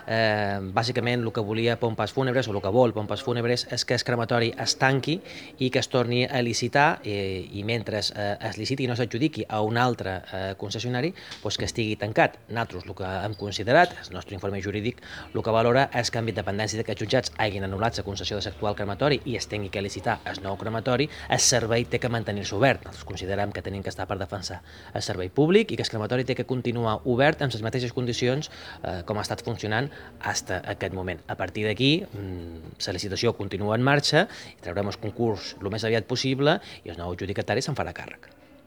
Bàsicament el que volia Pompas Fúnebres, o el que vol Pompas Fúnebres, és que el crematori es tanqui i que es torni a licitar, i mentre es liciti i no s'adjudiqui a un altre concessionari, doncs que estigui tancat. Nosaltres el que hem considerat, el nostre informe jurídic, el que valora és que amb independència que els jutjats hagin anul·lat la concessió de l'actual crematori i es tingui que licitar el nou crematori, el servei té que mantenir-se obert. Nosaltres considerem que tenim que estar per defensar el servei públic i que el crematori té que continuar obert en les mateixes condicions com ha estat funcionant fins a aquest moment. A partir d'aquí, la licitació continua en marxa, traurem el concurs el més aviat possible i el nou adjudicatari se'n farà càrrec.